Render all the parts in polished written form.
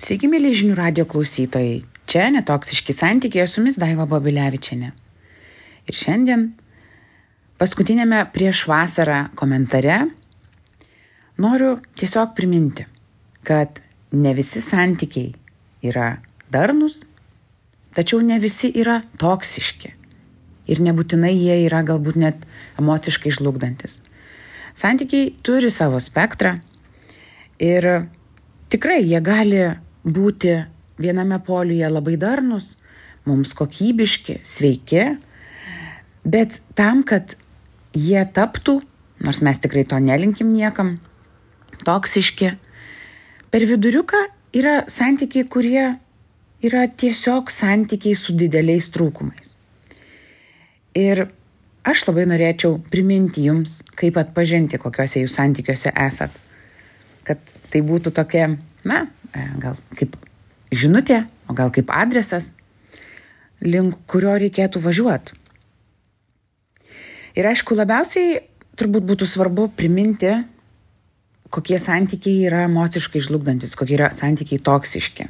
Sveiki, mėly žinių radio klausytojai. Čia Netoksiški santykiai, su jumis Daiva Babilevičienė. Ir šiandien, paskutinėme prieš vasarą komentare, noriu tiesiog priminti, kad ne visi santykiai yra darnūs, tačiau ne visi yra toksiški. Ir nebūtinai jie yra galbūt net emociškai žlugdantis. Santykiai turi savo spektrą ir tikrai jie gali būti viename poliuje labai darnūs, mums kokybiški, sveiki, bet tam, kad jie taptų, nors mes tikrai to nelinkim niekam, toksiški, per viduriuką yra santykiai, kurie yra tiesiog santykiai su dideliais trūkumais. Ir aš labai norėčiau priminti jums, kaip atpažinti, kokiuose jūs santykiuose esat. Kad tai būtų tokia, gal kaip žinutė, o gal kaip adresas, link kurio reikėtų važiuoti. Ir aišku, labiausiai turbūt būtų svarbu priminti, kokie santykiai yra emociškai žlugdantis, kokie yra santykiai toksiški.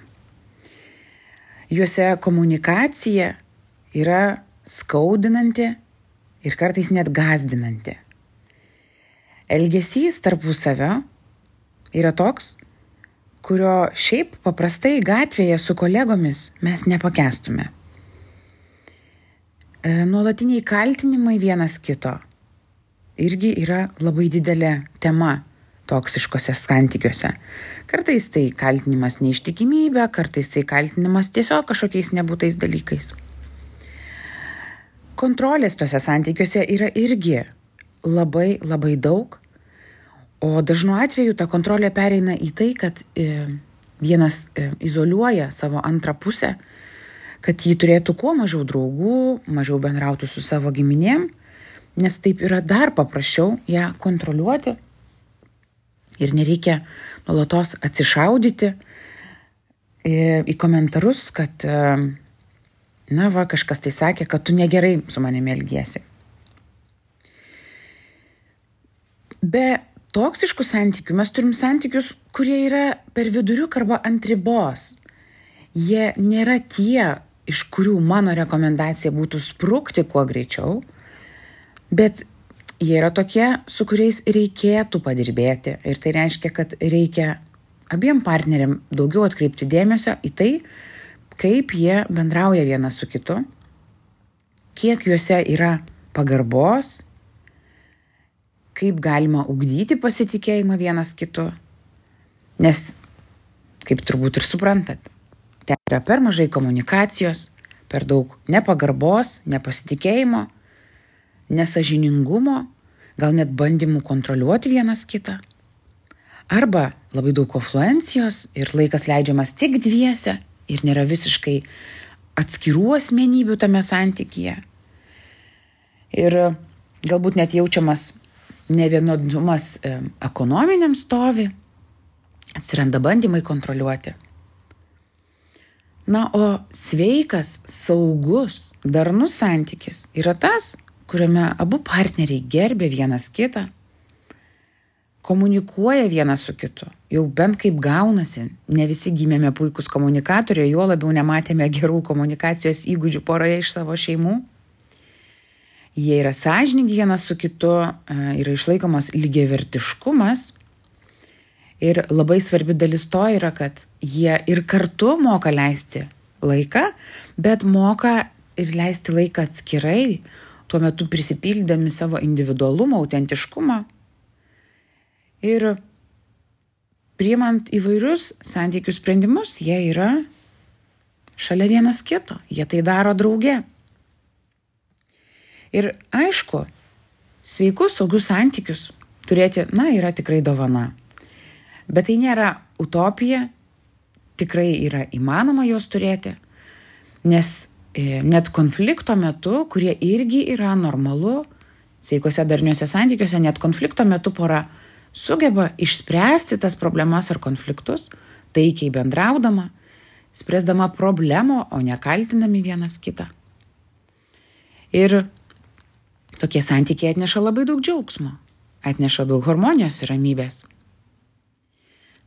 Juose komunikacija yra skaudinanti ir kartais net gąsdinanti. Elgesys tarpusavio yra toks, kurio šiaip paprastai gatvėje su kolegomis mes nepakęstume. Nuolatiniai kaltinimai vienas kito irgi yra labai didelė tema toksiškose santykiuose. Kartais tai kaltinimas neištikimybė, kartais tai kaltinimas tiesiog kažkokiais nebūtais dalykais. Kontrolės tuose santykiuose yra irgi labai, labai daug, o dažnu atveju ta kontrolė pereina į tai, kad vienas izoliuoja savo antrą pusę, kad jį turėtų kuo mažiau draugų, mažiau bendrautų su savo giminėm, nes taip yra dar paprasčiau ją kontroliuoti ir nereikia nuolatos atsišaudyti į komentarus, kad kažkas tai sakė, kad tu negerai su manimi elgiesi. Be toksiškų santykių mes turim santykius, kurie yra per viduriuką arba ant ribos. Jie nėra tie, iš kurių mano rekomendacija būtų sprukti kuo greičiau, bet jie yra tokie, su kuriais reikėtų padirbėti. Ir tai reiškia, kad reikia abiem partneriam daugiau atkreipti dėmesio į tai, kaip jie bendrauja vienas su kitu, kiek juose yra pagarbos, kaip galima ugdyti pasitikėjimą vienas kitu. Nes, kaip turbūt ir suprantat, ten yra per mažai komunikacijos, per daug nepagarbos, nepasitikėjimo, nesąžiningumo, gal net bandymų kontroliuoti vienas kitą. Arba labai daug konfluencijos ir laikas leidžiamas tik dviese ir nėra visiškai atskirų asmenybių tame santykyje. Ir galbūt net jaučiamas nevienodumas ekonominiam stovi, atsiranda bandymai kontroliuoti. O sveikas, saugus, darnus santykis yra tas, kuriame abu partneriai gerbia vienas kitą, komunikuoja vienas su kitu, jau bent kaip gaunasi, ne visi gimėme puikūs komunikatoriai, juo labiau nematėme gerų komunikacijos įgūdžių poroje iš savo šeimų. Jie yra sąžiningi vienas su kitu, yra išlaikomas lygiavertiškumas ir labai svarbi dalis to yra, kad jie ir kartu moka leisti laiką, bet moka ir leisti laiką atskirai, tuo metu prisipildami savo individualumo, autentiškumo. Ir priimant įvairius santykių sprendimus, jie yra šalia vienas kito, jie tai daro drauge. Ir aišku, sveikus, saugius santykius turėti, yra tikrai dovana. Bet tai nėra utopija, tikrai yra įmanoma juos turėti, nes net konflikto metu, kurie irgi yra normalu, sveikose darniuose santykiuose, net konflikto metu pora sugeba išspręsti tas problemas ar konfliktus, taikiai bendraudama, spręsdama problemą, o ne kaltinami vienas kitą. Ir tokie santykiai atneša labai daug džiaugsmo, atneša daug harmonijos ir ramybės.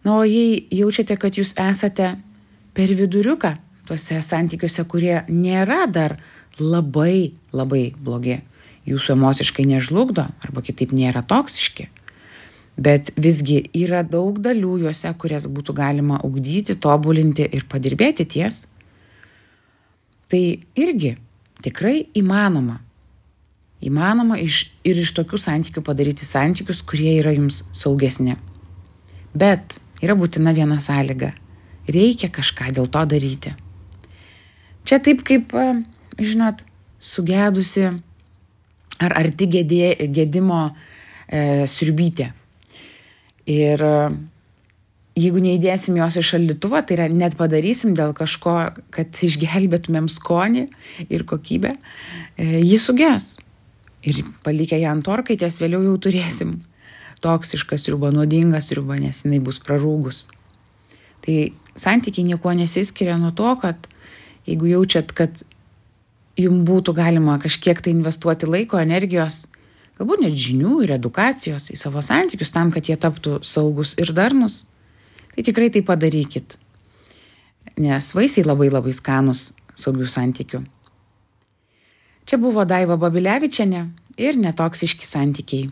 O jei jaučiate, kad jūs esate per viduriuką tuose santykiuose, kurie nėra dar labai, labai blogi. Jūsų emociškai nežlugdo arba kitaip nėra toksiški. Bet visgi yra daug dalių juose, kurias būtų galima ugdyti, tobulinti ir padirbėti ties. Tai irgi tikrai įmanoma. Įmanoma ir iš tokių santykių padaryti santykius, kurie yra jums saugesni. Bet yra būtina viena sąlyga. Reikia kažką dėl to daryti. Čia taip kaip, žinot, sugedusi ar arti gedimo sriubytė. Ir jeigu neįdėsim jos į šaldytuvą, tai yra net padarysim dėl kažko, kad išgelbėtumėm skonį ir kokybę, ji suges. Ir palikę ją ant orkaitės, vėliau jau turėsim toksišką sriubą, nuodingą sriubą, nes jinai bus prarūgus. Tai santykiai niekuo nesiskiria nuo to, kad jeigu jaučiat, kad jums būtų galima kažkiek tai investuoti laiko, energijos, galbūt net žinių ir edukacijos į savo santykius tam, kad jie taptų saugus ir darnus, tai tikrai tai padarykit. Nes vaisiai labai labai skanus saugių santykių. Čia buvo Daiva Babilevičienė ir netoksiški santykiai.